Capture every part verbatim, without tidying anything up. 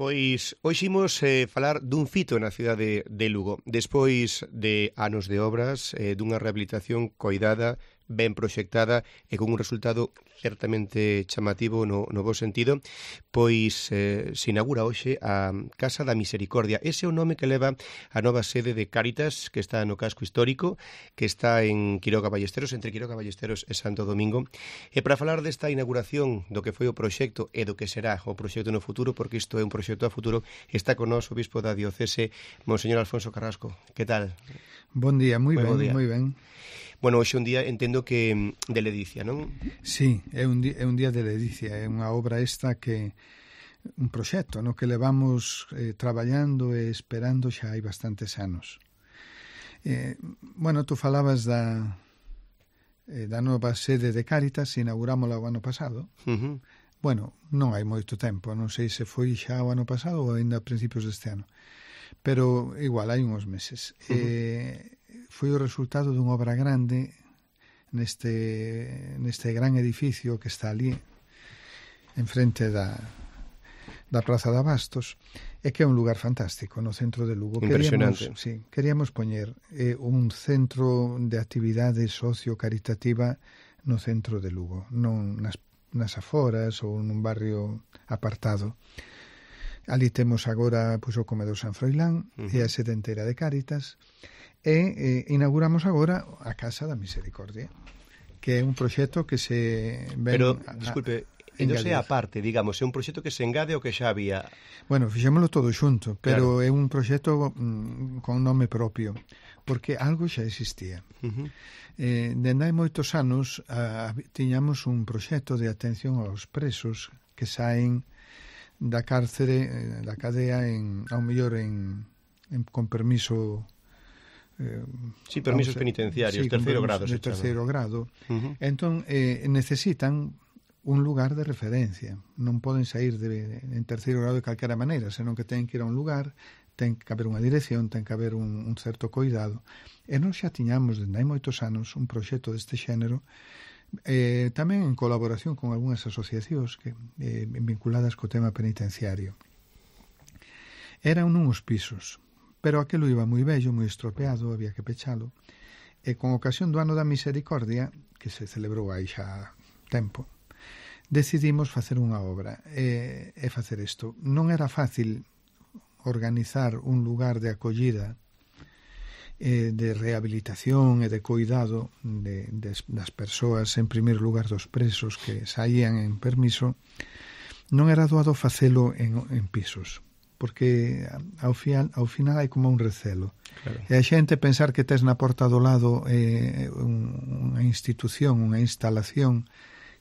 Pois hoxe imos eh, falar dun fito na cidade de Lugo. Despois de anos de obras, eh, dunha rehabilitación coidada, ben proxectada e con un resultado certamente chamativo no, no bo sentido, pois eh, se inaugura hoxe a Casa da Misericordia. Ese é o nome que leva a nova sede de Cáritas, que está no casco histórico, que está en Quiroga Ballesteros, entre Quiroga Ballesteros e Santo Domingo. E para falar desta inauguración do que foi o proxecto e do que será o proxecto no futuro, porque isto é un proxecto a futuro, está con nós o bispo da diocese, Monseñor Alfonso Carrasco. Que tal? Bon día, moi ben, moi ben. Bueno, hoxe un día entendo que de ledicia, non? Sí, é un día, é un día de ledicia, é unha obra esta que un proxecto, no que levamos eh, traballando e esperando xa hai bastantes anos. Eh, bueno, tú falabas da eh, da nova sede de Cáritas, inaugurámola o ano pasado. Uh-huh. Bueno, non hai moito tempo, non sei se foi xa o ano pasado ou ainda a principios deste ano, pero igual hai uns meses. Uh-huh. Eh, foi o resultado dunha obra grande neste, neste gran edificio que está ali enfrente da, da Praza de Abastos, e que é un lugar fantástico no centro de Lugo. Impresionante. Queríamos, sí, queríamos poñer eh, un centro de actividade socio-caritativa no centro de Lugo, non nas, nas aforas ou nun barrio apartado. Ali temos agora pois, o comedor San Froilán, uh-huh, e a sede entera de Cáritas, e eh, inauguramos agora a Casa da Misericordia, que é un proxecto que se ven... Pero, disculpe, non sei a parte, digamos, é un proxecto que se engade ao que xa había... Bueno, fixémolo todo xunto, pero claro, é un proxecto mm, con nome propio, porque algo xa existía. Uh-huh. Eh, dende hai moitos anos a, tiñamos un proxecto de atención aos presos que saen da cárcere, da cadea, en, ao mellor en, en, con permiso... Eh, sí, permisos vamos, penitenciarios, sí, terceiro grado. De terceiro grado. Uh-huh. Entón, eh, necesitan un lugar de referencia. Non poden sair de, en terceiro grado de calquera maneira, senón que ten que ir a un lugar, ten que haber unha dirección, ten que haber un, un certo coidado. E nós xa tiñamos, dende hai moitos anos, un proxecto deste xénero, eh, tamén en colaboración con algunhas asociacións que, eh, vinculadas co tema penitenciario. Eran uns pisos, pero aquilo iba moi bello, moi estropeado, había que pechalo, e con ocasión do Ano da Misericordia, que se celebrou aí xa tempo, decidimos facer unha obra e, e facer isto. Non era fácil organizar un lugar de acollida, eh, de rehabilitación e de cuidado de, de, das persoas, en primeiro lugar dos presos que saían en permiso. Non era doado facelo en, en pisos, porque ao final, ao final hai como un recelo. Claro. E a xente pensar que tes na porta do lado eh, un, unha institución, unha instalación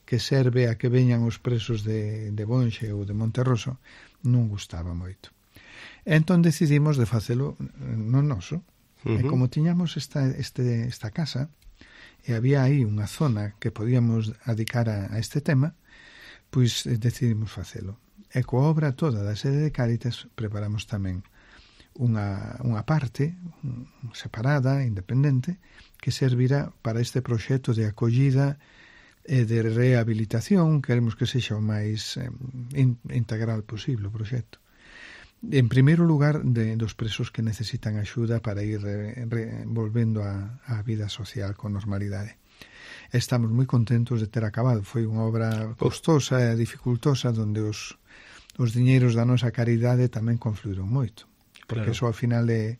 que serve a que veñan os presos de, de Bonxe ou de Monterroso, non gustaba moito. E entón decidimos de facelo no noso. Uh-huh. E como tiñamos esta, este, esta casa, e había aí unha zona que podíamos dedicar a, a este tema, pois decidimos facelo. E coa obra toda da sede de Cáritas preparamos tamén unha, unha parte separada, independente, que servirá para este proxecto de acollida e de rehabilitación. Queremos que sexa o máis eh, integral posible o proxecto. En primeiro lugar, de, dos presos que necesitan axuda para ir re, re, volvendo a, a vida social con normalidade. Estamos moi contentos de ter acabado. Foi unha obra costosa e dificultosa, onde os os diñeiros da nosa caridade tamén confluíron moito, porque claro, eso ao final é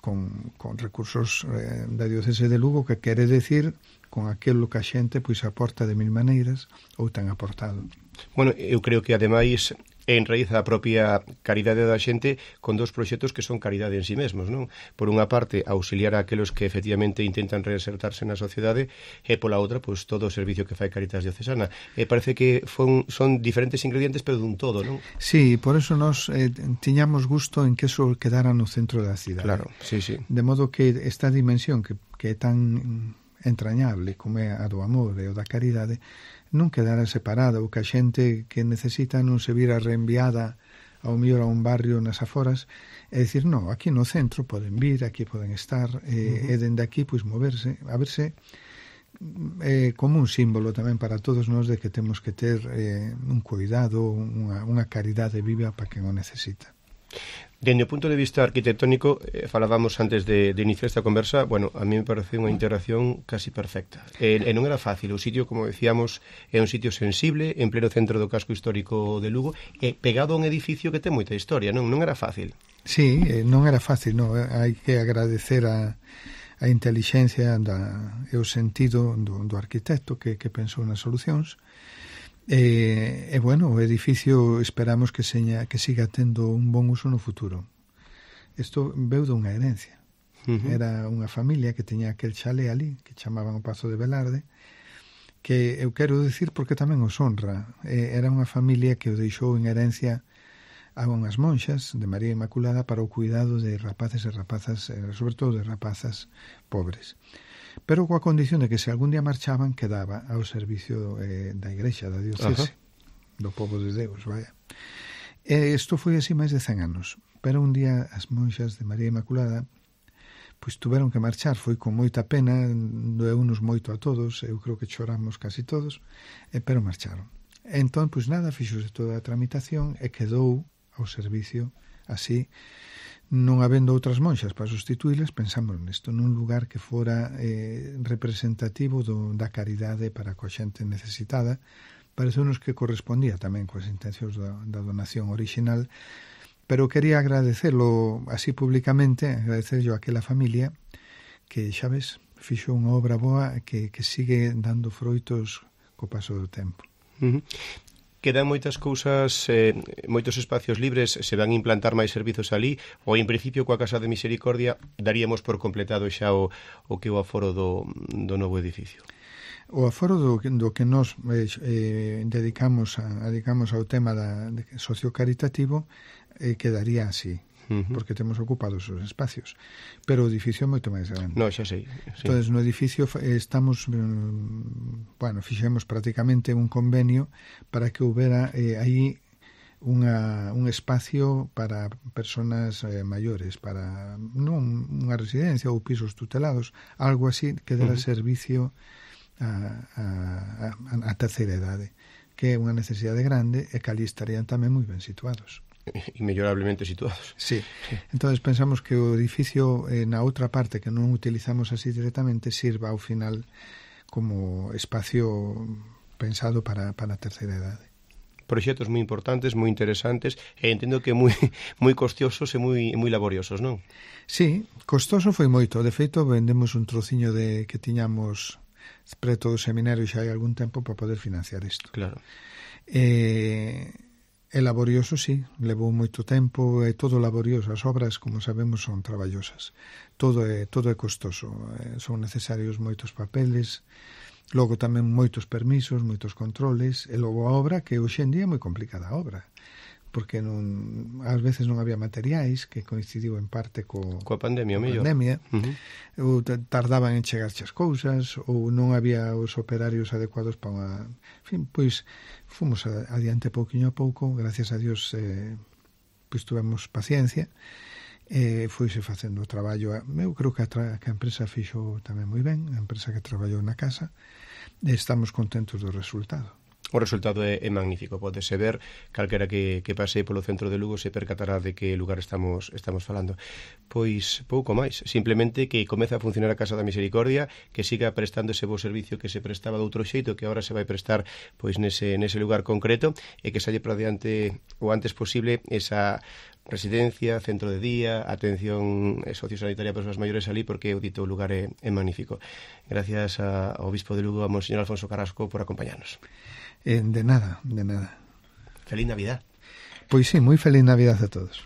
con, con recursos eh, da diocese de Lugo, que quere decir con aquilo que a xente pois aporta de mil maneiras ou ten aportado. Bueno, eu creo que ademais enraiza a propia caridade da xente con dos proxectos que son caridade en sí mesmos, non? Por unha parte, auxiliar a aqueles que efectivamente intentan reinsertarse na sociedade, e pola outra, pois, todo o servicio que fai Cáritas Diocesana. E parece que fon, son diferentes ingredientes, pero dun todo, non? Sí, por eso nos eh, tiñamos gusto en que eso quedara no centro da cidade. Claro, sí, sí. De modo que esta dimensión que, que é tan entrañable como é a do amor e o da caridade, non quedara separada, ou que a xente que necesita non se vira reenviada ao mellor a un barrio nas aforas, e dicir, non, aquí no centro poden vir, aquí poden estar, e, uh-huh, e dende aquí pois moverse, a verse é como un símbolo tamén para todos nós de que temos que ter eh, un cuidado, unha, unha caridade viva para quen o necesita. Dende o punto de vista arquitectónico, eh, falábamos antes de, de iniciar esta conversa, bueno, a mí me parece unha integración casi perfecta. E, e non era fácil, o sitio, como decíamos, é un sitio sensible, en pleno centro do casco histórico de Lugo, e pegado a un edificio que ten moita historia, non non era fácil. Sí, eh, non era fácil, non, hai que agradecer a a intelixencia da, e o sentido do, do arquitecto que, que pensou nas solucións. E, e, bueno, o edificio esperamos que, seña, que siga tendo un bon uso no futuro. Isto veu dunha herencia. Uh-huh. Era unha familia que teña aquel chalé ali, que chamaban o Pazo de Velarde, que eu quero dicir porque tamén os honra. E, era unha familia que o deixou en herencia a unhas monxas de María Inmaculada para o cuidado de rapaces e rapazas, sobre todo de rapazas pobres. Pero coa condición de que se algún día marchaban, quedaba ao servicio eh, da igrexa, da diocese, uh-huh. do povo de Deus, vaya. E isto foi así máis de cen anos. Pero un día as monxas de María Inmaculada pois tuveron que marchar, foi con moita pena, doeunos moito a todos, eu creo que choramos casi todos, eh, pero marcharon. Entón, pois nada, fixose toda a tramitación e quedou ao servicio así, non habendo outras monxas para sustituíles, pensamos nisto, nun lugar que fora eh, representativo do, da caridade para coa xente necesitada. Pareceunos que correspondía tamén coas intencións da, da donación original, pero quería agradecelo así públicamente, agradecerlo a aquela familia que, xa ves, fixo unha obra boa que, que sigue dando froitos co paso do tempo. Uh-huh. Quedan moitas cousas, eh, moitos espacios libres, se van a implantar máis servizos ali, ou en principio coa Casa de Misericordia daríamos por completado xa o, o que o aforo do, do novo edificio? O aforo do, do que nos eh, eh, dedicamos, a, dedicamos ao tema da, de sociocaritativo eh, quedaría así. Uh-huh. Porque temos ocupados os espacios, pero o edificio é moito máis grande. No, xa sei, sí. Entonces, no edificio estamos, bueno, fixemos prácticamente un convenio para que houbera eh, aí unha, un espacio para personas eh, maiores, para non unha residencia ou pisos tutelados, algo así que dera uh-huh. servicio a, a, a, a terceira idade, que é unha necesidade grande e que ali estarían tamén moi ben situados. Inmellorablemente situados. Sí. Entonces pensamos que o edificio eh, na outra parte que non utilizamos así directamente sirva ao final como espacio pensado para, para a terceira idade. Proxectos moi importantes, moi interesantes e entendo que moi moi costiosos e moi moi laboriosos, non? Sí, costoso foi moito. De feito, vendemos un trociño de que tiñamos preto do seminario xa hai algún tempo para poder financiar isto. Claro. Eh... É laborioso, sí, levou moito tempo, é todo laborioso, as obras, como sabemos, son traballosas. Todo é, todo é costoso, eh, son necesarios moitos papeles, logo tamén moitos permisos, moitos controles, e logo a obra, que hoxe en día é moi complicada a obra, porque non, ás veces non había materiais, que coincidiu en parte co, coa pandemia, co mellor. pandemia, uh-huh. ou tardaban en chegarche as cousas, ou non había os operarios adecuados para unha... En fin, pois, fomos adiante pouquiño a pouco, gracias a Dios, eh, pois tuvemos paciencia, e foise facendo o traballo. Eu creo que a, tra... que a empresa fixo tamén moi ben, a empresa que traballou na casa, e estamos contentos do resultado. O resultado é, é magnífico, podese ver, calquera que, que pase polo centro de Lugo se percatará de que lugar estamos estamos falando. Pois pouco máis, simplemente que comeza a funcionar a Casa da Misericordia, que siga prestando ese bo servicio que se prestaba de outro xeito, que agora se vai prestar pois nese, nese lugar concreto, e que salle para diante o antes posible esa residencia, centro de día, atención sociosanitaria para os maiores ali, porque o dito lugar é, é magnífico. Gracias a, ao Obispo de Lugo, a Monseñor Alfonso Carrasco, por acompañarnos. Eh, de nada, de nada. Feliz Navidad. Pois sí, moi feliz Navidad a todos.